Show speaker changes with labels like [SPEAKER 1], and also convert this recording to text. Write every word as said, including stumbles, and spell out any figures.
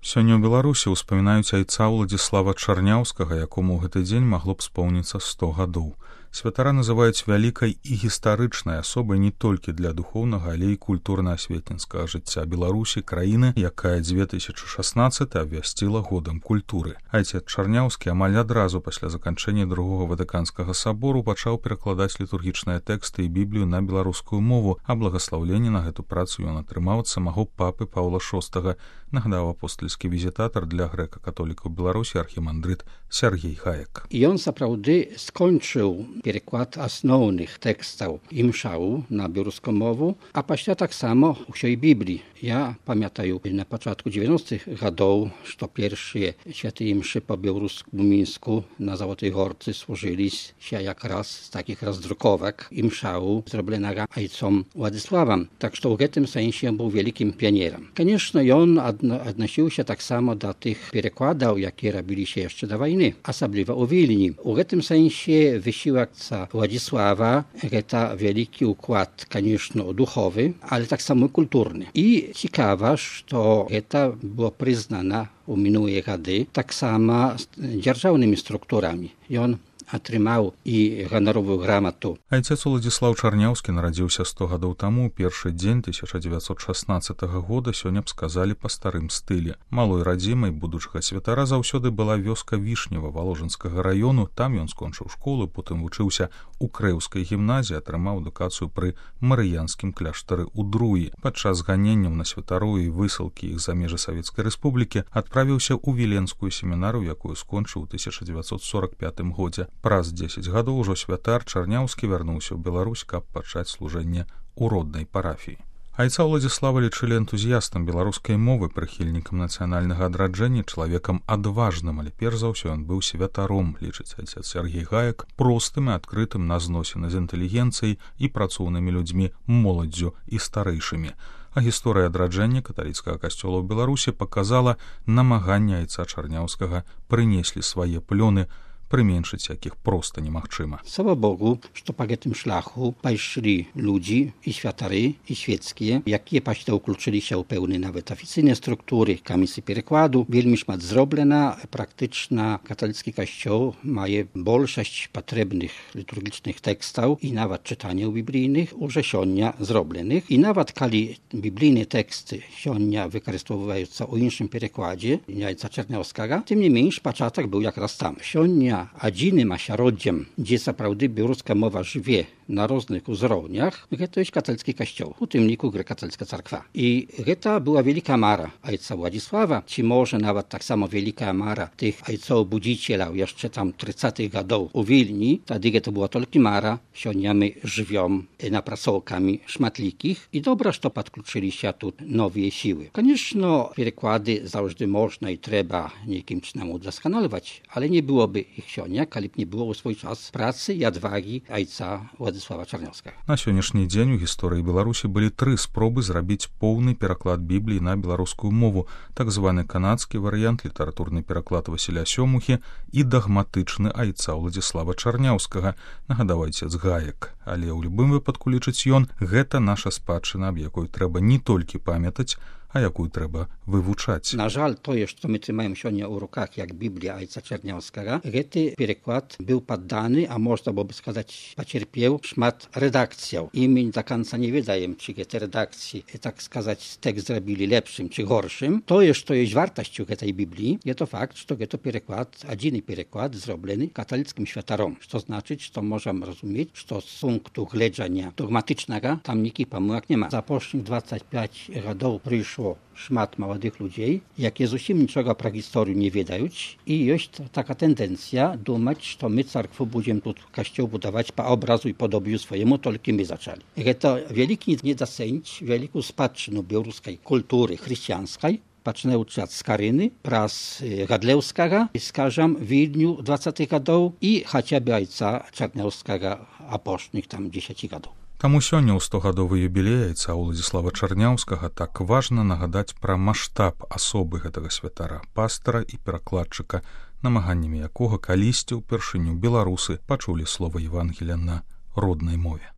[SPEAKER 1] Сёння ў Беларусі ўспамінаюць айца Уладзіслава Чарняўскага, якому ў гэты дзень магло б споўніцца сто гадоў. Святара называюць вялікай і гістарычнай асобай не толькі для духоўнага, але і культурна-асветніцкага жыцця Беларусі, краіны, якая две тысячы шаснаццаты абвясціла годам культуры. Айцец Чарняўскі амаль адразу пасля заканчэння другога Ватыканскага сабору пачаў перакладаць літургічныя тэксты і Біблію на беларускую мову, а благаслаўленне на гэту працу ён атрымаў ад самого папы Паўла шостага, нагадаў апостальскі візітатар для грэка-католікаў Беларусі архімандрыт Сяргей Гаек.
[SPEAKER 2] Ён сапраўды скончыў переклад асноўных тэкстаў імшаў на беларускую мову, а пасля таксама ўсёй Бібліі. Я памятаю на пачатку дзевяностых гадоў, што першыя святыя імшы па-беларуску ў Мінску на Залотай Горцы служыліся якраз з такіх раздруковак імшаў, зробленага айцом Уладзіславам. Так што ў гэтым сэнсе быў вялікім піянерам. Канешне, ён адносіўся таксама да тых перакладаў, якія рабіліся яшчэ да вайны, асабліва ў Вільні. У гэтым сэнсе высілак Уладзіслава гэта вялікі ўклад, канешне, духовы, але таксама культурны. І цікава, што гэта было прызнана ў мінулыя гады таксама дзяржаўнымі структурамі. Ён атрымаў і ганаровую грамату.
[SPEAKER 1] Айцец Уладзіслаў Чарняўскі нарадзіўся сто гадоў таму, першы дзень тысяча дзевяцьсот шаснаццатага года, сёння б сказалі па старым стылі. Малой радзімай будучага святара заўсёды была вёска Вішнева Валожынскага раёну, там ён скончыў школу, потым вучыўся у Крэўскай гімназіі, атрымаў адукацыю пры марыянскім кляштары ў Друі. Падчас ганенняў на святароў і высылкі іх за межы Савецкай Рэспублікі адправіўся ў Віленскую семінарыю, якую скончыў у тысяча дзевяцьсот сорак пятым годзе. Праз дзесяць гадоў ужо святар Чарняўскі вярнуўся ў Беларусь, каб пачаць служэнне ў роднай парафіі. Айца Уладзіслава лічылі энтузіястам беларускай мовы, прыхільнікам нацыянальнага адраджэння, чалавекам адважным, але перш за ўсё ён быў святаром, лічыць айцец Сяргей Гаек, простым і адкрытым на зносіны з інтэлігенцыяй і працоўнымі людзьмі, моладдзю і старэйшымі. А гісторыя адраджэння каталіцкага касцёла ў Беларусі паказала намаганне айца Чарняўскага прынеслі свае плёны, прыменшыць якіх проста немагчыма.
[SPEAKER 2] Слава Богу, што па гэтым шляху пайшлі людзі і святары, і свецкія, якія пасля ўключыліся ў пэўныя нават афіцыйныя структуры, камісіі перакладу. Вельмі шмат зроблена. Практычна каталіцкі касцёл мае большасць патрэбных літургічных тэкстаў і нават чытанняў біблійных уже сёння зробленых. І нават калі біблійныя тэксты сёння выкарыстоўваюцца ў іншым перакладзе айца Чарняўскага, тым не менш пачатак быў якраз там. Сёння адзіным асяроддзем, дзе сапраўды беларуская мова жыве на розных узроўнях, гэта ёсць каталіцкі касцёл, у тым ліку грэка-каталіцкая царква. І гэта была вялікая мара айца Уладзіслава, ці можа нават таксама вялікая мара тых айцоў-будзіцеляў яшчэ там трыццатых гадоў у Вільні. Тады гэта была толькі мара. Сёння мы жывём напрацоўкамі шматлікіх і добра, што падключыліся тут новыя сілы. Канешне, пераклады заўжды можна і трэба нейкім чынам удасканаліваць, але не было бы іх сёння, калі б не было ў свой час працы і адвагі айца Уладзіслава Чарняўскага.
[SPEAKER 1] На сённяшні дзень у гісторыі Беларусі былі тры спробы зрабіць поўны пераклад Бібліі на беларускую мову, так званы канадскі варыянт, літаратурны пераклад Васіля Сёмухі і дагматычны айца Уладзіслава Чарняўскага, нагадаў айцец Гаек. Але ў любым выпадку, лічыць ён, гэта наша спадчына, аб якой трэба не толькі памятаць, а якую трэба вывучаць.
[SPEAKER 2] На жаль, тое, што мы трымаем сёння ў руках, як Біблія айца Чарняўскага, гэты пераклад быў падданы, а можна было бы сказаць, пацярпеў шмат рэдакцыяў. І мы да канца не ведаем, ці гэты рэдакцыі, так сказаць, тэкст зрабілі лепшым ці горшым. Тое, што ёсць вартасцю гэтай Бібліі, гэта факт, што гэта пераклад, адзіны пераклад зроблены каталіцкім святаром, што значыць, што можам разумець, што з пункту гледжання догматычнага там ніякіх памылак няма. За апошніх дваццаць пяць гадоў прыйшло шмат маладых людзей, якія зусім нічога пра гісторыю не ведаюць, і ёсць така тэндэнцыя думаць, што мы царкву будзем тут касцёл будаваць па образу і падобію свайму, толькі мы зачалі. Гэта вялікі недацэніць вялікую спадчыну беларускай культуры хрысціянскай, пачынаючы ад Скарыны, праз Гадлеўскага, скажам, Вільню дваццатых гадоў і хаця б айца Чарняўскага апошніх там дзесяці гадоў.
[SPEAKER 1] Таму сёння ў стогадовы юбілей айца Уладзіслава Чарняўскага так важна нагадаць пра маштаб асобы гэтага святара, пастара і перакладчыка, намаганнямі якога калісьці ўпершыню беларусы пачулі слова Евангелія на роднай мове.